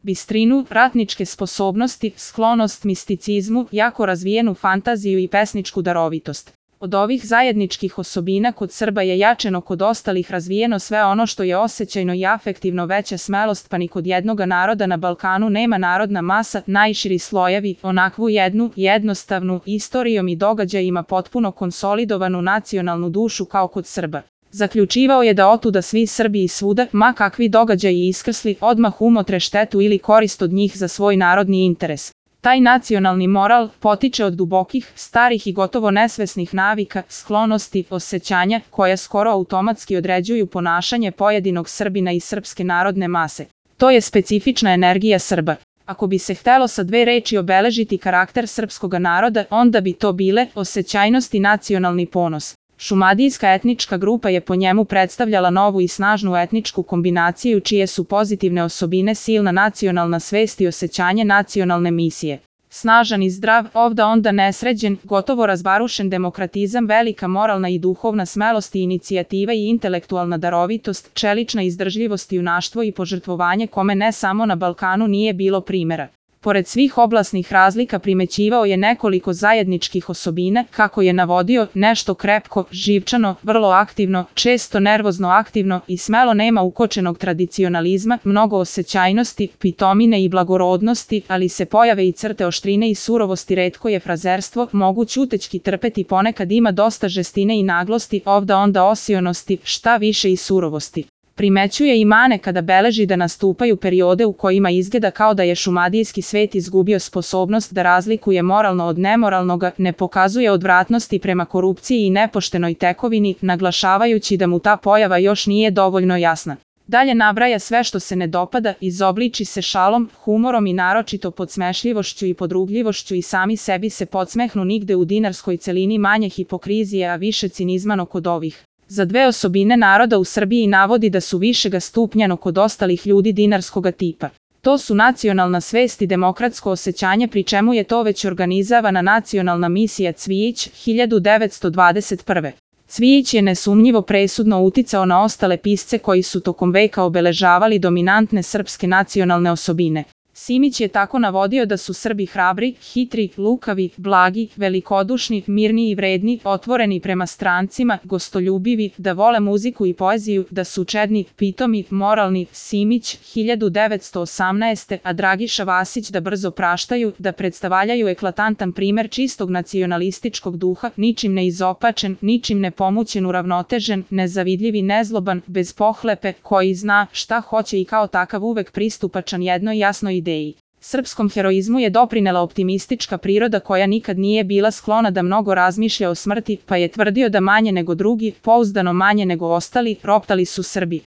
bistrinu, ratničke sposobnosti, sklonost misticizmu, jako razvijenu fantaziju i pesničku darovitost. Od ovih zajedničkih osobina kod Srba je jačeno kod ostalih razvijeno sve ono što je osjećajno i afektivno veća smelost, pa ni kod jednoga naroda na Balkanu nema narodna masa, najširi slojevi, onakvu jednu, jednostavnu, istorijom i događajima potpuno konsolidovanu nacionalnu dušu kao kod Srba. Zaključivao je da otuda svi Srbi i svuda, ma kakvi događaji iskrsli, odmah umotre štetu ili korist od njih za svoj narodni interes. Taj nacionalni moral potiče od dubokih, starih i gotovo nesvesnih navika, sklonosti, osjećanja, koja skoro automatski određuju ponašanje pojedinog Srbina i srpske narodne mase. To je specifična energija Srba. Ako bi se htelo sa dve reči obeležiti karakter srpskoga naroda, onda bi to bile osjećajnost i nacionalni ponos. Šumadijska etnička grupa je po njemu predstavljala novu i snažnu etničku kombinaciju čije su pozitivne osobine silna nacionalna svest i osjećanje nacionalne misije. Snažan i zdrav, ovda onda nesređen, gotovo razbarušen demokratizam, velika moralna i duhovna smelost i inicijativa i intelektualna darovitost, čelična izdržljivost, junaštvo i požrtvovanje kome ne samo na Balkanu nije bilo primjera. Pored svih oblasnih razlika primećivao je nekoliko zajedničkih osobina, kako je navodio, nešto krepko, živčano, vrlo aktivno, često nervozno aktivno i smelo nema ukočenog tradicionalizma, mnogo osjećajnosti, pitomine i blagorodnosti, ali se pojave i crte oštrine i surovosti, retko je frazerstvo, mogu ćutečki trpeti, ponekad ima dosta žestine i naglosti, ovda onda osionosti, šta više i surovosti. Primećuje i mane kada beleži da nastupaju periode u kojima izgleda kao da je šumadijski svet izgubio sposobnost da razlikuje moralno od nemoralnoga, ne pokazuje odvratnosti prema korupciji i nepoštenoj tekovini, naglašavajući da mu ta pojava još nije dovoljno jasna. Dalje nabraja sve što se ne dopada, izobliči se šalom, humorom i naročito podsmešljivošću i podrugljivošću i sami sebi se podsmehnu, nigde u dinarskoj celini manje hipokrizije, a više cinizmano kod ovih. Za dve osobine naroda u Srbiji navodi da su višega stupnjano kod ostalih ljudi dinarskoga tipa. To su nacionalna svest i demokratsko osjećanje, pri čemu je to već organizavana nacionalna misija Cvijić 1921. Cvijić je nesumnjivo presudno uticao na ostale pisce koji su tokom veka obeležavali dominantne srpske nacionalne osobine. Simić je tako navodio da su Srbi hrabri, hitri, lukavi, blagi, velikodušni, mirni i vredni, otvoreni prema strancima, gostoljubivi, da vole muziku i poeziju, da su čedni, pitomi, moralni. Simić 1918. A Dragiša Vasić da brzo praštaju, da predstavljaju eklatantan primer čistog nacionalističkog duha, ničim ne izopačen, ničim ne pomućen, uravnotežen, nezavidljiv i nezloban, bez pohlepe, koji zna šta hoće i kao takav uvek pristupačan jednoj jasnoj ideji. Srpskom heroizmu je doprinela optimistička priroda koja nikad nije bila sklona da mnogo razmišlja o smrti, pa je tvrdio da manje nego drugi, pouzdano manje nego ostali, roptali su Srbi.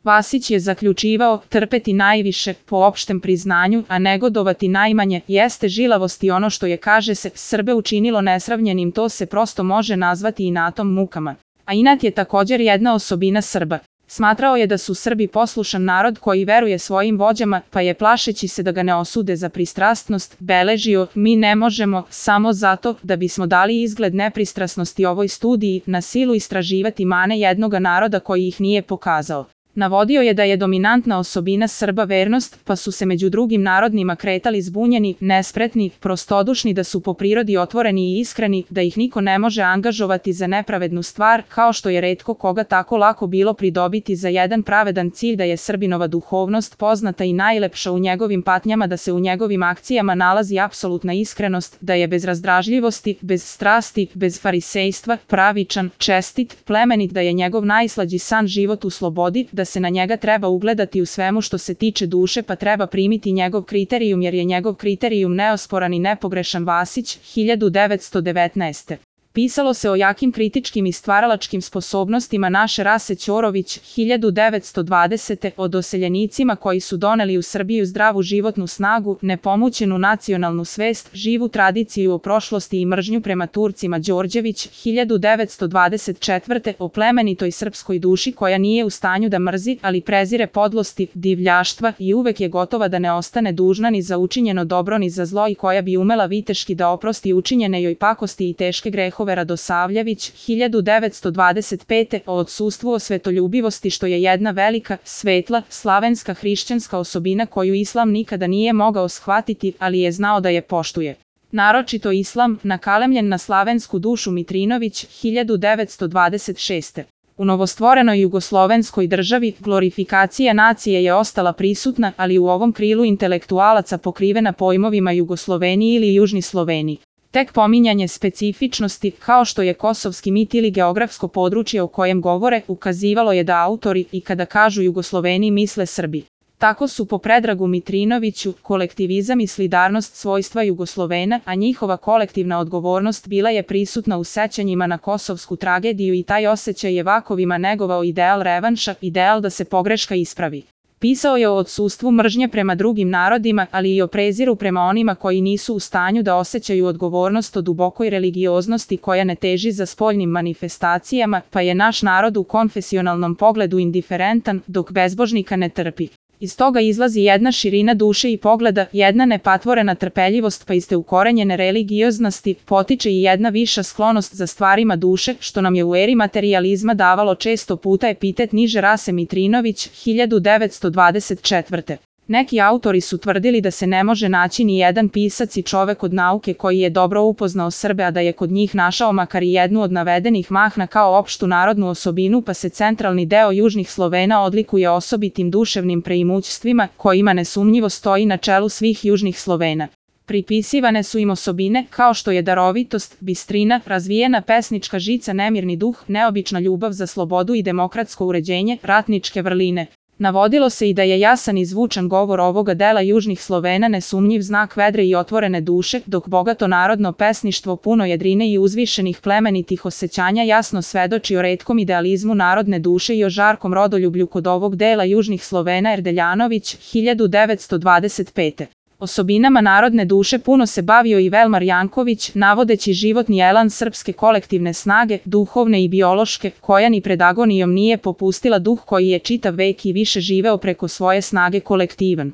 Vasić je zaključivao, trpeti najviše, po opštem priznanju, a negodovati najmanje, jeste žilavost i ono što je, kaže se, Srbe učinilo nesravnjenim, to se prosto može nazvati inatom, mukama. A inat je također jedna osobina Srba. Smatrao je da su Srbi poslušan narod koji veruje svojim vođama, pa je, plašeći se da ga ne osude za pristrasnost, beležio: mi ne možemo, samo zato da bismo dali izgled nepristrasnosti ovoj studiji, na silu istraživati mane jednoga naroda koji ih nije pokazao. Navodio je da je dominantna osobina Srba vernost, pa su se među drugim narodnima kretali zbunjeni, nespretni, prostodušni, da su po prirodi otvoreni i iskreni, da ih niko ne može angažovati za nepravednu stvar, kao što je retko koga tako lako bilo pridobiti za jedan pravedan cilj, da je Srbinova duhovnost poznata i najlepša u njegovim patnjama, da se u njegovim akcijama nalazi apsolutna iskrenost, da je bez razdražljivosti, bez strasti, bez farisejstva, pravičan, čestit, plemenit, da je njegov najslađi san život u slobodi, da se na njega treba ugledati u svemu što se tiče duše, pa treba primiti njegov kriterijum, jer je njegov kriterijum neosporan i nepogrešan. Vasić 1919. Pisalo se o jakim kritičkim i stvaralačkim sposobnostima naše rase. Ćorović 1920. O doseljenicima koji su doneli u Srbiju zdravu životnu snagu, nepomućenu nacionalnu svest, živu tradiciju o prošlosti i mržnju prema Turcima. Đorđević 1924. O plemenitoj srpskoj duši koja nije u stanju da mrzi, ali prezire podlosti, divljaštva i uvek je gotova da ne ostane dužna ni za učinjeno dobro ni za zlo, i koja bi umela viteški da oprosti učinjene joj pakosti i teške grehove Vlahove Radosavljević, 1925. o odsustvu svetoljubivosti što je jedna velika, svetla, slavenska hrišćanska osobina koju islam nikada nije mogao shvatiti, ali je znao da je poštuje. Naročito islam, nakalemljen na slavensku dušu Mitrinović, 1926. U novostvorenoj jugoslovenskoj državi glorifikacija nacije je ostala prisutna, ali u ovom krilu intelektualaca pokrivena pojmovima Jugosloveni ili Južni Sloveni. Tek pominjanje specifičnosti, kao što je kosovski mit ili geografsko područje o kojem govore, ukazivalo je da autori, i kada kažu Jugosloveni, misle Srbi. Tako su po Predragu Mitrinoviću kolektivizam i solidarnost svojstva Jugoslovena, a njihova kolektivna odgovornost bila je prisutna u sećanjima na kosovsku tragediju i taj osjećaj je vakovima negovao ideal revanša, ideal da se pogreška ispravi. Pisao je o odsustvu mržnje prema drugim narodima, ali i o preziru prema onima koji nisu u stanju da osjećaju odgovornost o dubokoj religioznosti koja ne teži za spoljnim manifestacijama, pa je naš narod u konfesionalnom pogledu indiferentan, dok bezbožnika ne trpi. Iz toga izlazi jedna širina duše i pogleda, jedna nepatvorena trpeljivost pa iste ukorenjene religioznosti, potiče i jedna viša sklonost za stvarima duše, što nam je u eri materijalizma davalo često puta epitet niže rase Mitrinović, 1924. Neki autori su tvrdili da se ne može naći ni jedan pisac i čovek od nauke koji je dobro upoznao Srbe, a da je kod njih našao makar i jednu od navedenih mahna kao opštu narodnu osobinu, pa se centralni deo južnih Slovena odlikuje osobitim duševnim preimućstvima, kojima nesumnjivo stoji na čelu svih južnih Slovena. Pripisivane su im osobine kao što je darovitost, bistrina, razvijena pesnička žica, nemirni duh, neobična ljubav za slobodu i demokratsko uređenje, ratničke vrline. Navodilo se i da je jasan i zvučan govor ovoga dela južnih Slovena nesumnjiv znak vedre i otvorene duše, dok bogato narodno pesništvo puno jedrine i uzvišenih plemenitih osjećanja jasno svedoči o retkom idealizmu narodne duše i o žarkom rodoljublju kod ovog dela južnih Slovena. Erdeljanović, 1925. Osobinama narodne duše puno se bavio i Velmar Janković, navodeći životni elan srpske kolektivne snage, duhovne i biološke, koja ni pred agonijom nije popustila, duh koji je čitav vek i više živeo preko svoje snage kolektivan.